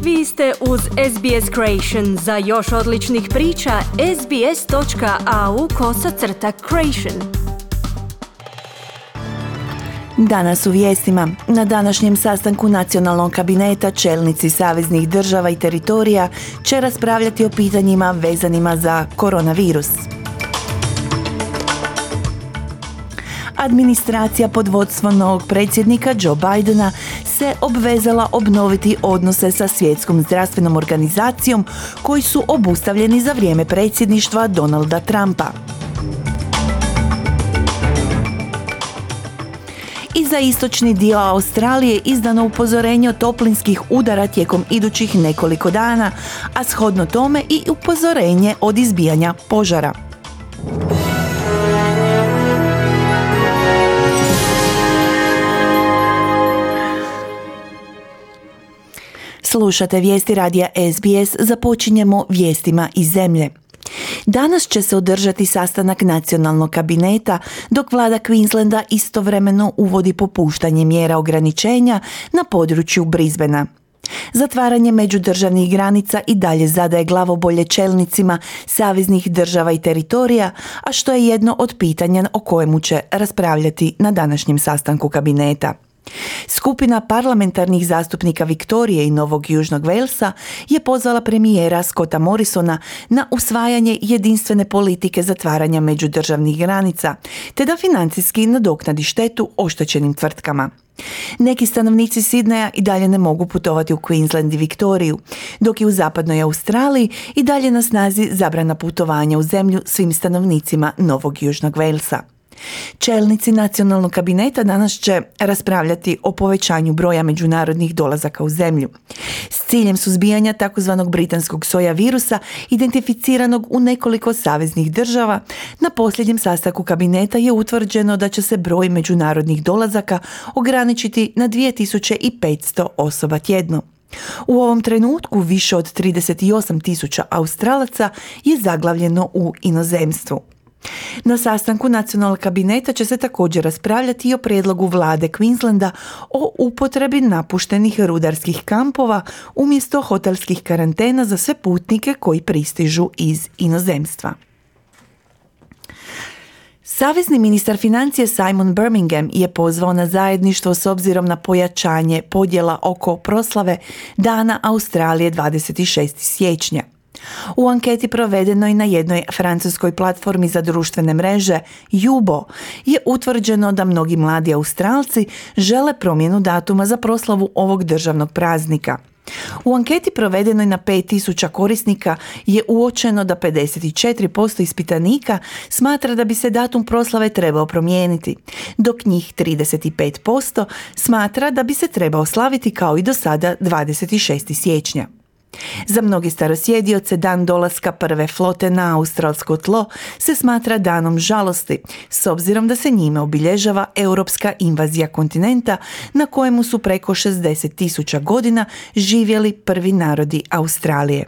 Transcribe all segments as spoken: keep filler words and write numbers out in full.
Vi ste uz S B S Creation. Za još odličnih priča, sbs.au kosacrta creation. Danas u vijestima. Na današnjem sastanku nacionalnog kabineta čelnici saveznih država i teritorija će raspravljati o pitanjima vezanima za koronavirus. Administracija pod vodstvom novog predsjednika Joe Bidena se obvezala obnoviti odnose sa Svjetskom zdravstvenom organizacijom koji su obustavljeni za vrijeme predsjedništva Donalda Trumpa. I za istočni dio Australije izdano upozorenje o toplinskih udara tijekom idućih nekoliko dana, a shodno tome i upozorenje od izbijanja požara. Slušate vijesti radija S B S, započinjemo vijestima iz zemlje. Danas će se održati sastanak nacionalnog kabineta, dok vlada Queenslanda istovremeno uvodi popuštanje mjera ograničenja na području Brisbanea. Zatvaranje međudržavnih granica i dalje zadaje glavobolje čelnicima saveznih država i teritorija, a što je jedno od pitanja o kojemu će raspravljati na današnjem sastanku kabineta. Skupina parlamentarnih zastupnika Viktorije i Novog Južnog Walesa je pozvala premijera Scotta Morrisona na usvajanje jedinstvene politike zatvaranja međudržavnih granica, te da financijski nadoknadi štetu oštećenim tvrtkama. Neki stanovnici Sidneja i dalje ne mogu putovati u Queensland i Viktoriju, dok je u zapadnoj Australiji i dalje na snazi zabrana putovanja u zemlju svim stanovnicima Novog Južnog Walesa. Čelnici nacionalnog kabineta danas će raspravljati o povećanju broja međunarodnih dolazaka u zemlju. S ciljem suzbijanja takozvanog britanskog soja virusa, identificiranog u nekoliko saveznih država, na posljednjem sastanku kabineta je utvrđeno da će se broj međunarodnih dolazaka ograničiti na dvije tisuće petsto osoba tjedno. U ovom trenutku više od trideset osam tisuća Australaca je zaglavljeno u inozemstvu. Na sastanku nacionalnog kabineta će se također raspravljati i o prijedlogu vlade Queenslanda o upotrebi napuštenih rudarskih kampova umjesto hotelskih karantena za sve putnike koji pristižu iz inozemstva. Savezni ministar financije Simon Birmingham je pozvao na zajedništvo s obzirom na pojačanje podjela oko proslave Dana Australije dvadeset šestog siječnja. U anketi provedenoj na jednoj francuskoj platformi za društvene mreže Yubo je utvrđeno da mnogi mladi Australci žele promjenu datuma za proslavu ovog državnog praznika. U anketi provedenoj na pet tisuća korisnika je uočeno da pedeset četiri posto ispitanika smatra da bi se datum proslave trebao promijeniti, dok njih trideset pet posto smatra da bi se trebao slaviti kao i do sada dvadeset šestog siječnja. Za mnogi starosjedioce dan dolaska prve flote na australsko tlo se smatra danom žalosti, s obzirom da se njime obilježava europska invazija kontinenta na kojemu su preko šezdeset tisuća godina živjeli prvi narodi Australije.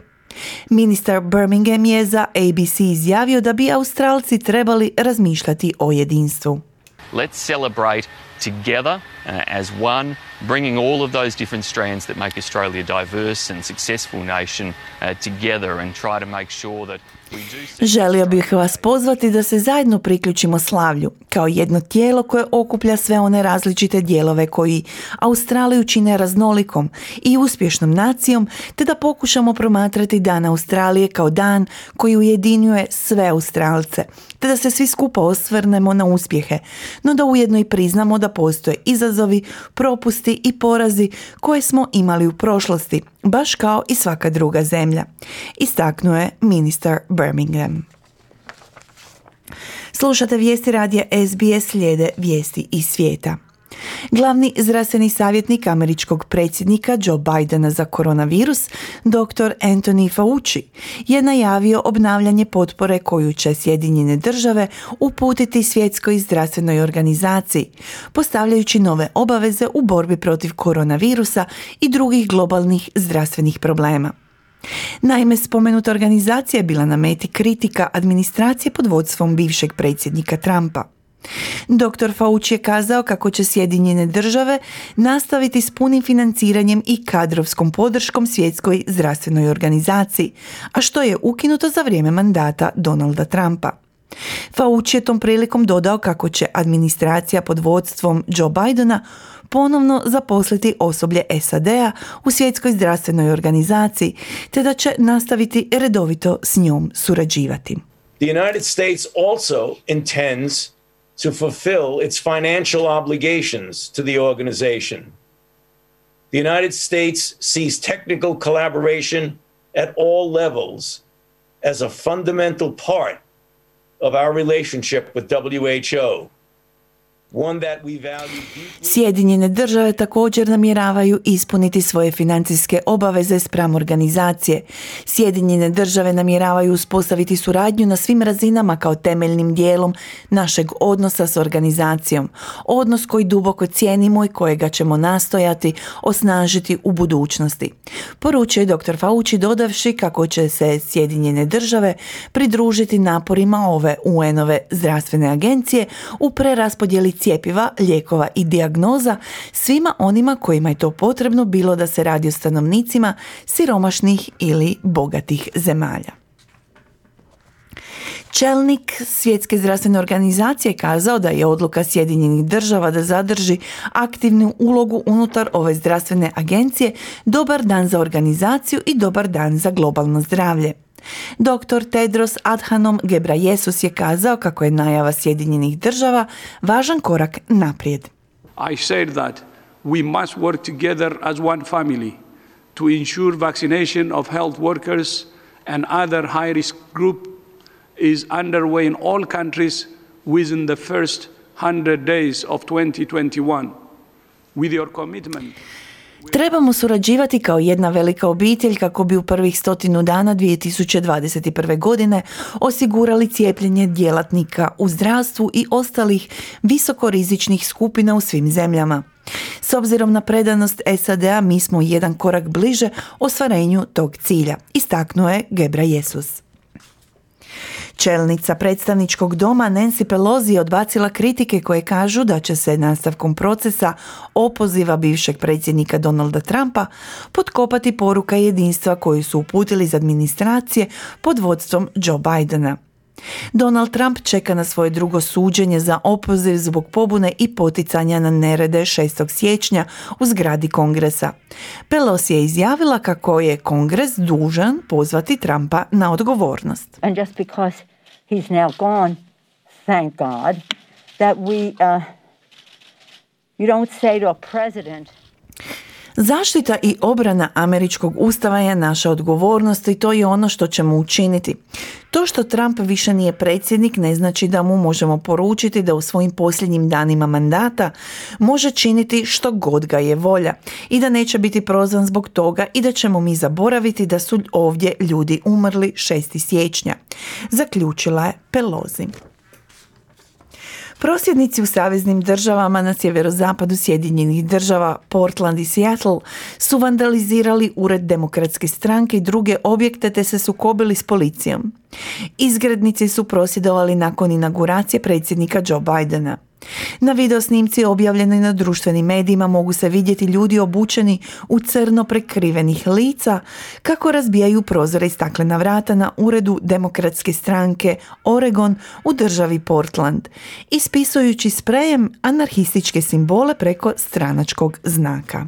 Ministar Birmingham je za A B C izjavio da bi Australci trebali razmišljati o jedinstvu. Let's celebrate together uh, as one, bringing all of those different strands that make Australia a diverse and successful nation uh, together and try to make sure that we do... Želio bih vas pozvati da se zajedno priključimo slavlju, kao jedno tijelo koje okuplja sve one različite dijelove koji Australiju čine raznolikom i uspješnom nacijom, te da pokušamo promatrati Dan Australije kao dan koji ujedinjuje sve Australce, te da se svi skupa osvrnemo na uspjehe, no da ujedno i priznamo da postoje izazovi, propusti i porazi koje smo imali u prošlosti, baš kao i svaka druga zemlja, istaknuo je ministar Birmingham. Slušate vijesti radija S B S, slijede vijesti iz svijeta. Glavni zdravstveni savjetnik američkog predsjednika Joe Bidena za koronavirus, doktor Anthony Fauci, je najavio obnavljanje potpore koju će Sjedinjene države uputiti Svjetskoj zdravstvenoj organizaciji, postavljajući nove obaveze u borbi protiv koronavirusa i drugih globalnih zdravstvenih problema. Naime, spomenuta organizacija je bila na meti kritika administracije pod vodstvom bivšeg predsjednika Trumpa. doktor Fauci je kazao kako će Sjedinjene države nastaviti s punim financiranjem i kadrovskom podrškom Svjetskoj zdravstvenoj organizaciji, a što je ukinuto za vrijeme mandata Donalda Trumpa. Fauci je tom prilikom dodao kako će administracija pod vodstvom Joe Bidena ponovno zaposliti osoblje S A D-a u Svjetskoj zdravstvenoj organizaciji, te da će nastaviti redovito s njom surađivati. The United States also intends to fulfill its financial obligations to the organization. The United States sees technical collaboration at all levels as a fundamental part of our relationship with W H O. Sjedinjene države također namjeravaju ispuniti svoje financijske obaveze spram organizacije. Sjedinjene države namjeravaju uspostaviti suradnju na svim razinama kao temeljnim dijelom našeg odnosa s organizacijom. Odnos koji duboko cijenimo i kojega ćemo nastojati osnažiti u budućnosti. Poručio je doktor Fauci dodavši kako će se Sjedinjene države pridružiti naporima ove U N-ove zdravstvene agencije u preraspodjeli cjepiva, lijekova i dijagnoza svima onima kojima je to potrebno, bilo da se radi o stanovnicima siromašnih ili bogatih zemalja. Čelnik Svjetske zdravstvene organizacije kazao da je odluka Sjedinjenih država da zadrži aktivnu ulogu unutar ove zdravstvene agencije dobar dan za organizaciju i dobar dan za globalno zdravlje. doktor Tedros Adhanom Ghebreyesus je kazao kako je najava Sjedinjenih država važan korak naprijed. I said that we must work together as one family to ensure vaccination of health workers and other high-risk group is underway in all countries within the first one hundred days of twenty twenty-one. With your commitment, trebamo surađivati kao jedna velika obitelj kako bi u prvih stotinu dana dvije tisuće dvadeset prve. godine osigurali cijepljenje djelatnika u zdravstvu i ostalih visokorizičnih skupina u svim zemljama. S obzirom na predanost S A D-a mi smo jedan korak bliže ostvarenju tog cilja, istaknuo je Ghebreyesus. Čelnica predstavničkog doma Nancy Pelosi je odbacila kritike koje kažu da će se nastavkom procesa opoziva bivšeg predsjednika Donalda Trumpa potkopati poruka jedinstva koju su uputili iz administracije pod vodstvom Joe Bidena. Donald Trump čeka na svoje drugo suđenje za opoziv zbog pobune i poticanja na nerede šestog siječnja u zgradi Kongresa. Pelosi je izjavila kako je Kongres dužan pozvati Trumpa na odgovornost. And just because he's now gone, thank God, that we, uh, you don't say to a president. Zaštita i obrana američkog ustava je naša odgovornost i to je ono što ćemo učiniti. To što Trump više nije predsjednik ne znači da mu možemo poručiti da u svojim posljednjim danima mandata može činiti što god ga je volja i da neće biti prozvan zbog toga i da ćemo mi zaboraviti da su ovdje ljudi umrli šestog siječnja, zaključila je Pelosi. Prosvjednici u saveznim državama na sjeverozapadu Sjedinjenih država, Portland i Seattle, su vandalizirali ured Demokratske stranke i druge objekte te se sukobili s policijom. Izgrednici su prosvjedovali nakon inauguracije predsjednika Joe Bidena. Na videosnimci objavljenoj na društvenim medijima mogu se vidjeti ljudi obučeni u crno prekrivenih lica kako razbijaju prozore i staklena vrata na uredu Demokratske stranke Oregon u državi Portland, ispisujući sprejem anarhističke simbole preko stranačkog znaka.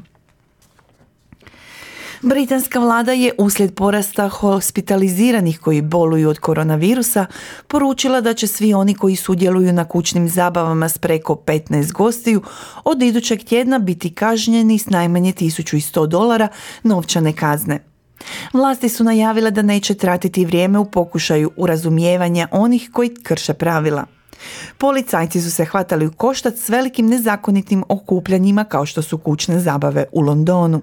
Britanska vlada je uslijed porasta hospitaliziranih koji boluju od koronavirusa poručila da će svi oni koji sudjeluju na kućnim zabavama s preko petnaest gostiju od idućeg tjedna biti kažnjeni s najmanje tisuću sto dolara novčane kazne. Vlasti su najavile da neće tratiti vrijeme u pokušaju urazumijevanja onih koji krše pravila. Policajci su se hvatali u koštac s velikim nezakonitim okupljanjima kao što su kućne zabave u Londonu.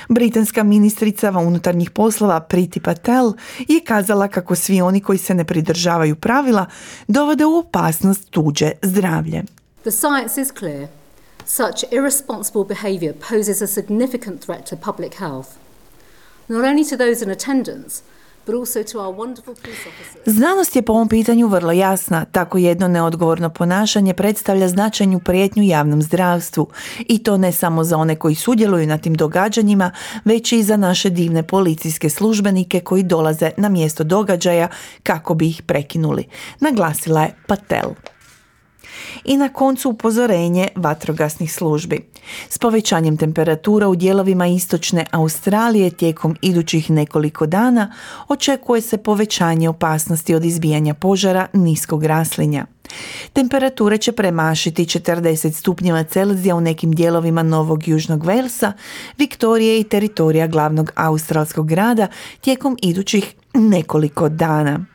Britanska ministrica unutarnjih poslova Priti Patel je kazala kako svi oni koji se ne pridržavaju pravila dovode u opasnost tuđe zdravlje. The science is clear. Such irresponsible behaviour poses a significant threat to public health, not only to those in attendance, but also to our wonderful police officers. Znanost je po ovom pitanju vrlo jasna. Tako jedno neodgovorno ponašanje predstavlja značajnu prijetnju javnom zdravstvu. I to ne samo za one koji sudjeluju na tim događanjima, već i za naše divne policijske službenike koji dolaze na mjesto događaja kako bi ih prekinuli, naglasila je Patel. I na koncu upozorenje vatrogasnih službi. S povećanjem temperatura u dijelovima istočne Australije tijekom idućih nekoliko dana očekuje se povećanje opasnosti od izbijanja požara niskog raslinja. Temperature će premašiti četrdeset stupnjeva Celzija u nekim dijelovima Novog Južnog Walesa, Viktorije i teritorija glavnog australskog grada tijekom idućih nekoliko dana.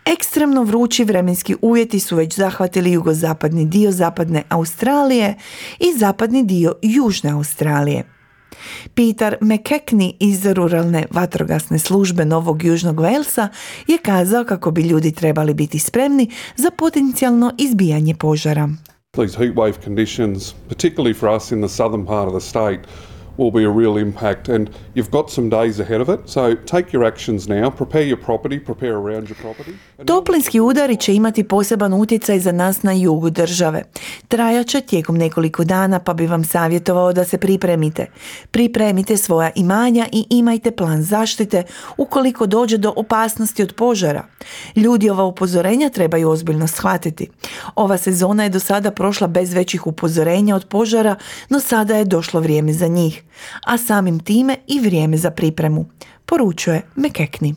Ekstremno vrući vremenski uvjeti su već zahvatili jugozapadni dio zapadne Australije i zapadni dio južne Australije. Peter McKechnie iz ruralne vatrogasne službe Novog Južnog Walesa je kazao kako bi ljudi trebali biti spremni za potencijalno izbijanje požara. These heat wave conditions, particularly for us in the southern part of the state, will be a real impact, and you've got some days ahead of it, so take your actions now, prepare your property, prepare around your property. Toplinski udari će imati poseban utjecaj za nas na jugu države. Trajaće tijekom nekoliko dana, pa bi vam savjetovao da se pripremite. Pripremite svoja imanja i imajte plan zaštite ukoliko dođe do opasnosti od požara. Ljudi ova upozorenja trebaju ozbiljno shvatiti. Ova sezona je do sada prošla bez većih upozorenja od požara, no sada je došlo vrijeme za njih, a samim time i vrijeme za pripremu, poručuje McKechnie.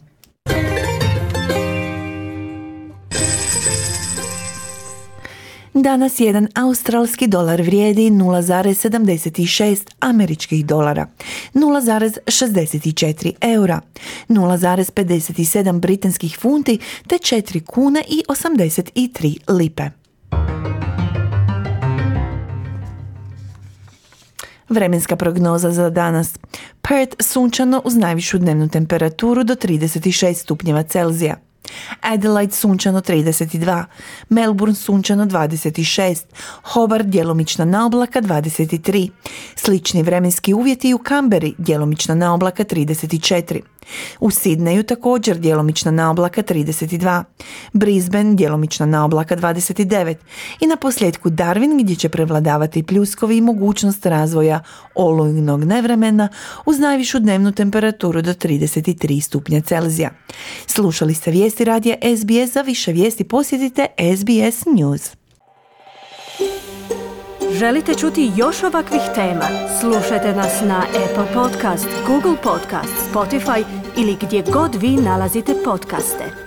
Danas jedan australski dolar vrijedi nula zarez sedamdeset šest američkih dolara, nula zarez šezdeset četiri eura, nula zarez pedeset sedam britanskih funti te četiri kune i osamdeset tri lipe. Vremenska prognoza za danas. Perth sunčano uz najvišu dnevnu temperaturu do trideset šest stupnjeva Celzija. Adelaide sunčano trideset dva, Melbourne sunčano dvadeset šest, Hobart djelomična naoblaka dvadeset tri, slični vremenski uvjeti u Canberri djelomična naoblaka trideset četiri, u Sidneju također djelomična naoblaka trideset dva, Brisbane djelomična naoblaka dvadeset devet i na posljedku Darwin gdje će prevladavati pljuskovi i mogućnost razvoja olujnog nevremena uz najvišu dnevnu temperaturu do trideset tri stupnja Celzija. Slušali ste vijesti radija S B S, za više vijesti posjetite S B S News. Želite čuti još ovakvih tema? Slušajte nas na Apple Podcast, Google Podcast, Spotify ili gdje god vi nalazite podcaste.